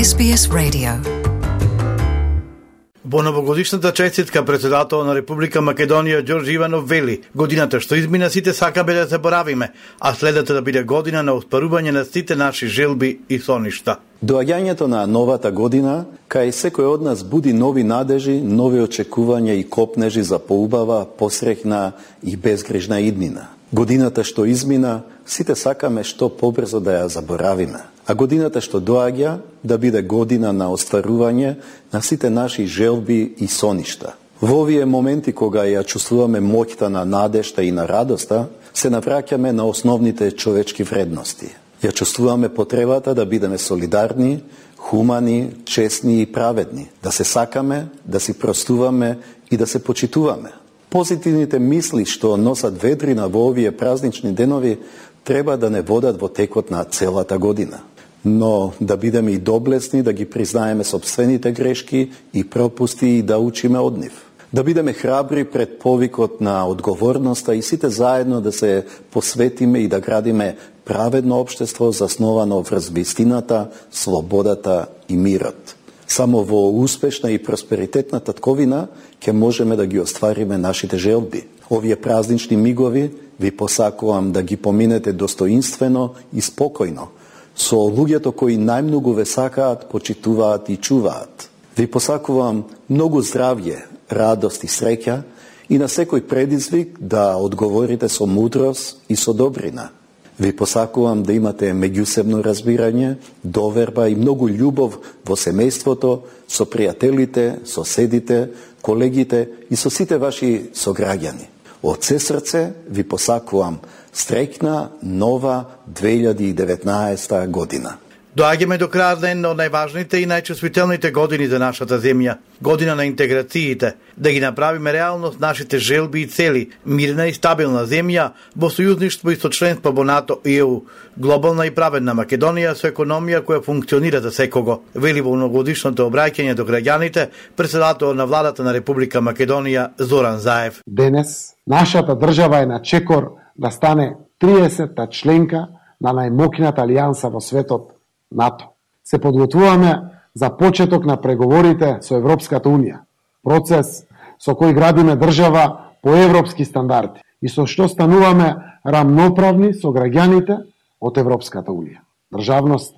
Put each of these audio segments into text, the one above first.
SBS Radio. Во новогодишната честитка председател на Република Македонија Ѓорџи Иванов вели: годината што измина сите сакаме да заборавиме, а следната да биде година на оспарување на сите наши желби и соништа. Доаѓањето на новата година кај секој од нас буди нови надежи, нови очекувања и копнежи за поубава, посреќна и безгрижна иднина. Годината што измина, сите сакаме што побрзо да ја заборавиме. А годината што доаѓа да биде година на остварување на сите наши желби и соништа. Во овие моменти кога ја чувствуваме моќта на надежта и на радоста, се навраќаме на основните човечки вредности. Ја чувствуваме потребата да бидеме солидарни, хумани, честни и праведни, да се сакаме, да си простуваме и да се почитуваме. Позитивните мисли што носат ведрина во овие празнични денови треба да не водат во текот на целата година. Но да бидеме и доблесни, да ги признаеме сопствените грешки и пропусти и да учиме од нив. Да бидеме храбри пред повикот на одговорноста и сите заедно да се посветиме и да градиме праведно општество засновано врз вистината, слободата и мирот. Само во успешна и просперитетна татковина ќе можеме да ги оствариме нашите желби. Овие празнични мигови ви посакувам да ги поминете достоинствено и спокојно, со луѓето кои најмногу ве сакаат, почитуваат и чуваат. Ви посакувам многу здравје, радост и среќа и на секој предизвик да одговорите со мудрост и со добрина. Ви посакувам да имате меѓусебно разбирање, доверба и многу љубов во семејството, со пријателите, соседите, колегите и со сите ваши сограѓани. Од се срце ви посакувам среќна нова 2019 година. Доаѓаме до крајот на една од најважните и најчувствителните години за нашата земја, година на интеграциите, да ги направиме реалност нашите желби и цели, мирна и стабилна земја во сојузништво и со членство во НАТО и ЕУ, глобална и праведна Македонија со економија која функционира за секого, вели во новогодишното обраќање до граѓаните председател на владата на Република Македонија Зоран Заев. Денес нашата држава е на чекор да стане 30-та членка на најмокната алијанса во светот, НАТО. Се подготвуваме за почеток на преговорите со Европската Унија, процес со кој градиме држава по европски стандарди и со што стануваме рамноправни со граѓаните од Европската Унија. Државност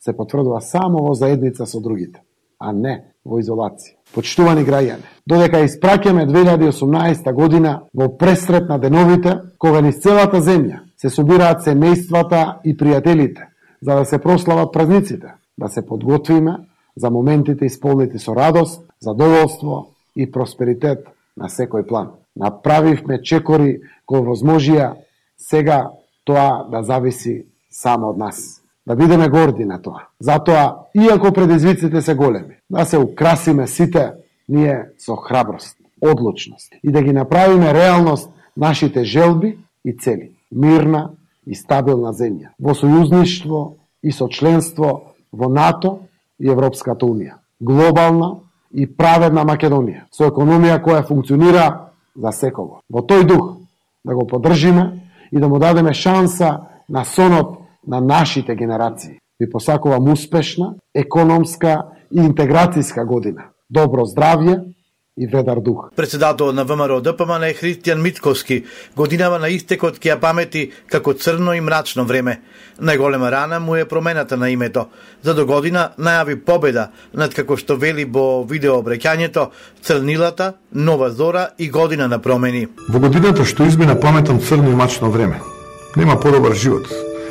се потврдува само во заедница со другите, а не во изолација. Почитувани граѓани, додека испраќаме 2018 година во пресрет на деновите, кога низ целата земја се собираат семејствата и пријателите, за да се прослават празниците, да се подготвиме за моментите исполнети со радост, задоволство и просперитет на секој план. Направивме чекори кои возможија сега тоа да зависи само од нас. Да бидеме горди на тоа. Затоа, иако предизвиците се големи, да се украсиме сите ние со храброст, одлучност и да ги направиме реалност нашите желби и цели. Мирна и стабилна земја, во сојузништво и со членство во НАТО и Европската Унија. Глобална и праведна Македонија, со економија која функционира за секого. Во тој дух да го поддржиме и да му дадеме шанса на сонот на нашите генерации. Ви посакувам успешна, економска и интеграцијска година. Добро здравје и ведар дух. Председател на ВМРО ДПМН е Христијан Мицковски годинава на истекот ќе ја памети како црно и мрачно време. Најголема рана му е промената на името. За до година најави победа над, како што вели во видеообраќањето, црнилата, нова зора и година на промени. Во годината што измина паметам црно и мрачно време. Нема подобар живот.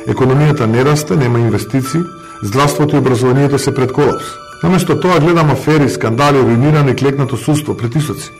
Економијата не расте, нема инвестиции, здравството и образованието се пред колапс. Наместо тоа гледам афери, скандали, руинирано и клекнато судство, притисоци.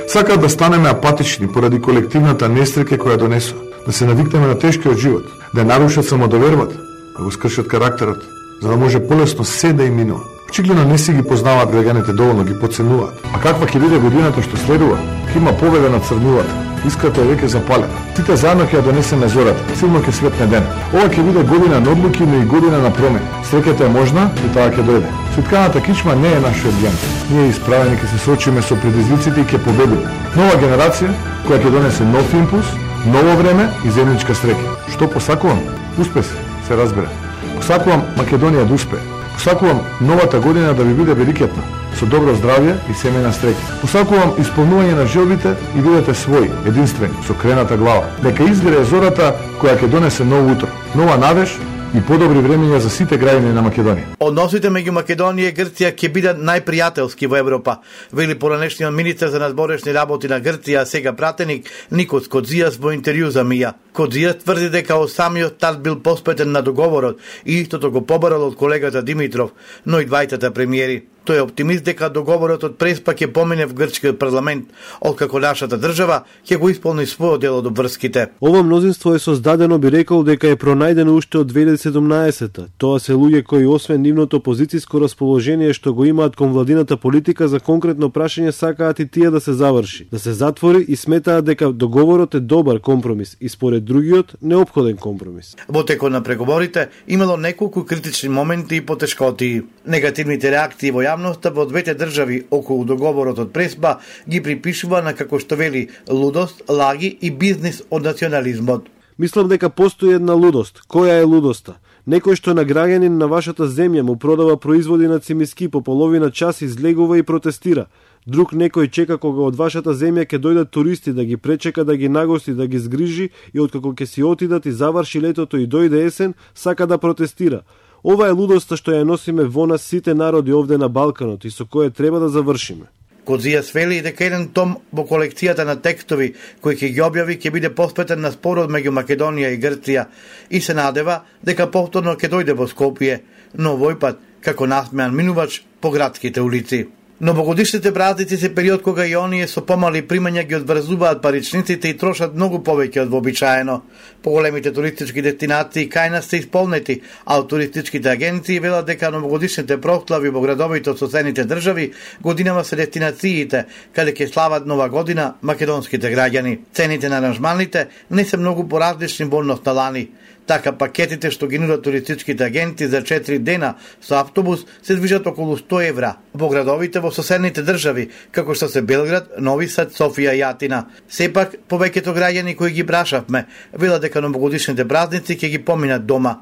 Сакаат да станеме апатични поради колективната несреќа која донесува, да се навикнеме на тешкиот живот, да нарушат самодовербата, да го скршат карактерот, за да може полесно се да им минува. Очигледно не си ги познаваат граѓаните доволно, ги подценуваат. А каква ќе биде годината што следува? Ќе има победа над црнилата. Искрата е веќе запалена. Сите заедно ќе ја донесеме зората. Силно ќе светне ден. Ова ќе биде година на одлуки, но и година на промени. Среќата е можна и таа ќе дојде. Светканата кичма не е нашиот ген. Ние исправени ќе се соочиме со предизвиците и ќе победиме. Нова генерација која ќе донесе нов импулс, ново време и земјичка среќа. Што посакувам? Успех се разбира. Посакувам Македонија да успее. Посакувам новата година да ви биде великетна, со добро здравје и семејна среќа. Посакувам исполнување на желбите и бидете своји, единствени, со крената глава. Дека изгрее зората која ќе донесе ново утро, нова надеж и подобри времења за сите граѓани на Македонија. Односите меѓу Македонија и Грција ќе бидат најпријателски во Европа, вели поранешниот министер за надборешни работи на Грција, а сега пратеник Никос Кодзијас во интервју за МИА. Кодзијас тврди дека од самиот старт бил поспетен на договорот и истото го побарал од колегата Димитров, но и двајтата премиери. Тој е оптимист дека договорот од Преспа ќе помине в грчкиот парламент, откако нашата држава ќе го исполни својот дел од обврските. Ова мнозинство е создадено, би рекол, дека е пронајдено уште од 2017-та. Тоа се луѓе кои освен нивното позицијско расположение што го имаат кон владината политика за конкретно прашање сакаат и тие да се заврши, да се затвори и сметаат дека договорот е добар компромис и според другиот неопходен компромис. Во текот на преговорите имало неколку критични моменти и потешкоти. Негативните реакции во јавноста во двете држави околу договорот од Преспа ги припишува на, како што вели, лудост, лаги и бизнис од национализмот. Мислам дека постои една лудост. Која е лудоста? Некој што на граѓанин на вашата земја му продава производи на цимиски по половина час излегува и протестира. Друг некој чека кога од вашата земја ќе дојдат туристи да ги пречека, да ги нагости, да ги згрижи и откако ќе си отидат и заврши летото и дојде есен, сака да протестира. Ова е лудоста што ја носиме во нас сите народи овде на Балканот и со која треба да завршиме. Кодзијас вели дека еден том во колекцијата на текстови кои ќе ги објави ќе биде посветен на спорот меѓу Македонија и Грција и се надева дека повторно ќе дојде во Скопје, но овој пат како насмеан минувач по градските улици. Новогодишните празници се период кога и оние со помали примања ги одврзуваат паричниците и трошат многу повеќе од вообичаено. Поголемите туристички дестинации кај нас се исполнети, а туристичките агенции велат дека новогодишните прослави во градовите од соседните држави годинава се дестинациите каде ќе слават нова година македонските граѓани. Цените на аранжманите не се многу поразлични во однос на лани. Така пакетите што ги нудат туристичките агенти за 4 дена со автобус се движат околу 100 евра во градовите во соседните држави, како што се Белград, Нови Сад, Софија и Атина. Сепак, повеќето граѓани кои ги прашавме велат дека новогодишните празници ќе ги поминат дома.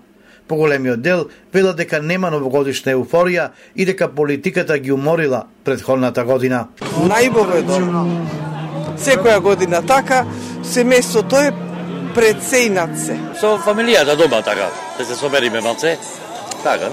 Поголемиот дел велат дека нема новогодишна еуфорија и дека политиката ги уморила претходната година. Најбоведно. Секоја година така, семејството е преценат се. Со фамилијата дома така, да се собериме малце. Така,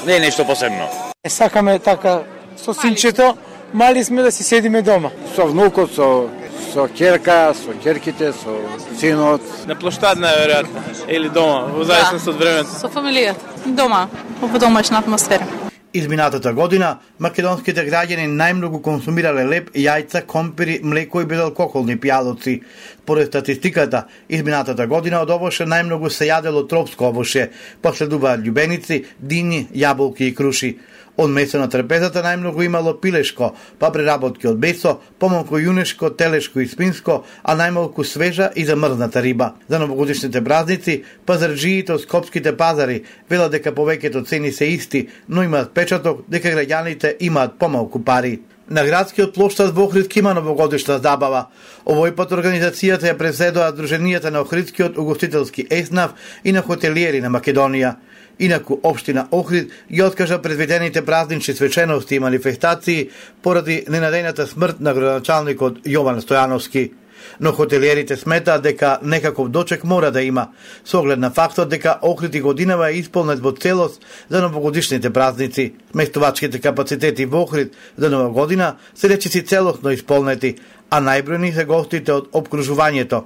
не е нешто посебно. Сакаме така со синчето, мали сме да си седиме дома. Со внукот, со ќерка, со ќерките, со синот. На площад најверојатно или дома, во зависност од времето. Со фамилијата, дома, во домашна атмосфера. Изминатата година македонските граѓани најмногу консумирале леб, јајца, компири, млеко и безалкохолни пијалоци. Поред статистиката, изминатата година од овоше најмногу се јадело тропско овоше, последуваат љубеници, дини, јаболки и круши. Од месо на трпезата најмногу имало пилешко, па преработки од месо, помалку јунешко, телешко и спинско, а најмалку свежа и замрзната риба. За новогодишните празници, пазарџиите од скопските пазари велат дека повеќето цени се исти, но имаат печаток дека граѓаните имаат помалку пари. На градскиот плоштад во Охрид има новогодишна забава. Овој пат организацијата ја преседоа Друженијата на Охридскиот угостителски еснав и на хотелиери на Македонија. Инаку, општина Охрид ги откажа предвидените празнични свечености и манифестации поради ненадејната смрт на градоначалникот Јован Стојановски. Но хотелиерите сметаат дека некаков дочек мора да има, со оглед на фактот дека Охрид и годинава е исполнет во целост за новогодишните празници. Сместувачките капацитети во Охрид за нова година се речиси целосно исполнети, а најбројни се гостите од обкружувањето.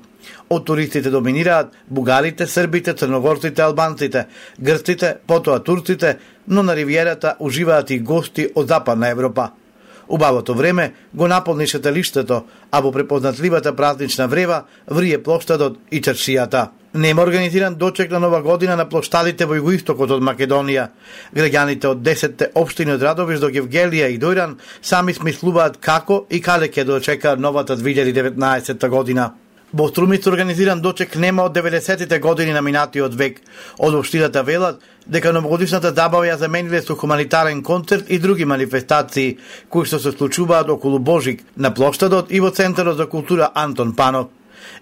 Од туристите доминираат бугарите, србите, црногорците, албанците, грците, потоа турците, но на ривиерата уживаат и гости од Западна Европа. Убавото време го наполни шеталиштето, а во препознатливата празнична врева врие плоштадот и чаршијата. Нема организиран дочек на нова година на плоштадите во југоистокот од Македонија. Граѓаните од 10 општини од Радовиш до Гевгелија и Дојран сами смислуваат како и каде ќе дочекаат новата 2019 година. Во Струмица организиран дочек нема од 90-тите години на минатиот век. Од општината велат дека новогодишната забава ја замениле со хуманитарен концерт и други манифестации, кои што се случуваат околу Божик на плоштадот и во Центарот за култура Антон Панов.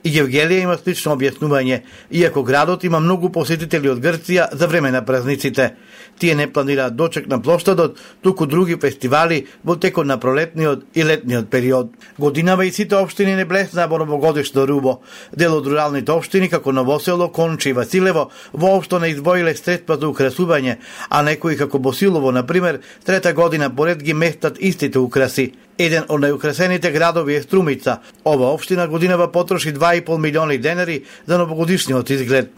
И Гевгелија има слично објаснување, иако градот има многу посетители од Грција за време на празниците. Тие не планираат дочек на плоштадот, туку други фестивали во текот на пролетниот и летниот период. Годинава и сите општини не блеснаа во новогодишно рубо. Дел од руралните општини како Новосело, Конче и Василево воопшто не издвоиле средства за украсување, а некои како Босилово, например, трета година поред ги местат истите украси. Еден од најукрасените градови е Струмица. Ова општина годинава потроши 2,5 милиони денари за новогодишниот изглед.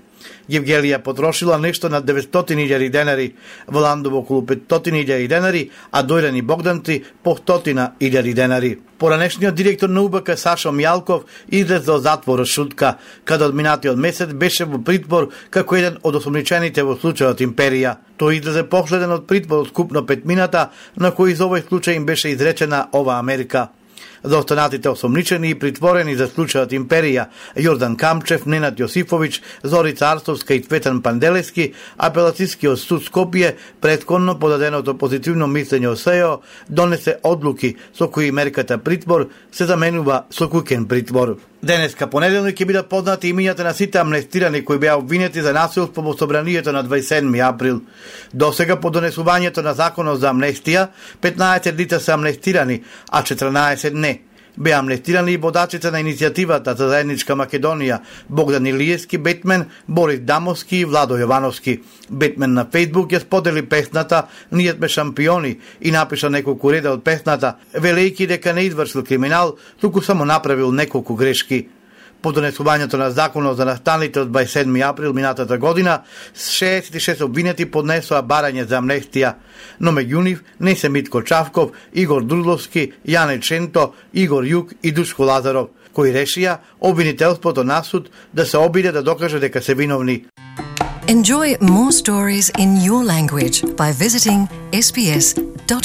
Евгелија потрошила нешто над 900.000 денари, Вландово околу 500.000 денари, а Дојран и Богданци по 100.000 денари. Поранешниот директор на УБК Сашо Мјалков излезе од затвор шутка, каде од минатиот месец беше во притвор како еден од осомничените во случајот Империја. Тој излезе последен од притвор од скупно 5 мината, на кои за овој случај им беше изречена ова Америка. За останатите осомничени и притворени за случајот Империја, Јордан Камчев, Ненад Јосифович, Зорица Арсовска и Цветан Панделевски, апелацијскиот суд Скопје, претходно подаденото позитивно мислење од СЕО, донесе одлуки со кои мерката притвор се заменува со куќен притвор. Денеска понеделник ќе бидат познати имињата на сите амнестирани кои беа обвинети за насилство во собранието на 27 април. Досега по донесувањето на законот за амнестија, 15 лица се амнестирани, а 14 не. Беа амнестирани и водачите на иницијативата за заедничка Македонија, Богдан Илиевски, Бетмен, Борис Дамовски и Владо Јовановски. Бетмен на Фејсбук ја сподели песната "Ние сме шампиони" и напиша неколку реда од песната, велејќи дека не извршил криминал, туку само направил неколку грешки. По донесувањето на законот за настаните од 27 април минатата година, 66 обвинети поднесоа барање за амнестија, но меѓу нив не се Митко Чавков, Игор Дурловски, Јане Ченто, Игор Јук и Душко Лазаров, кои решија обвинителството на суд да се обиде да докаже дека се виновни. Enjoy more stories in your language by visiting sbs.com.au.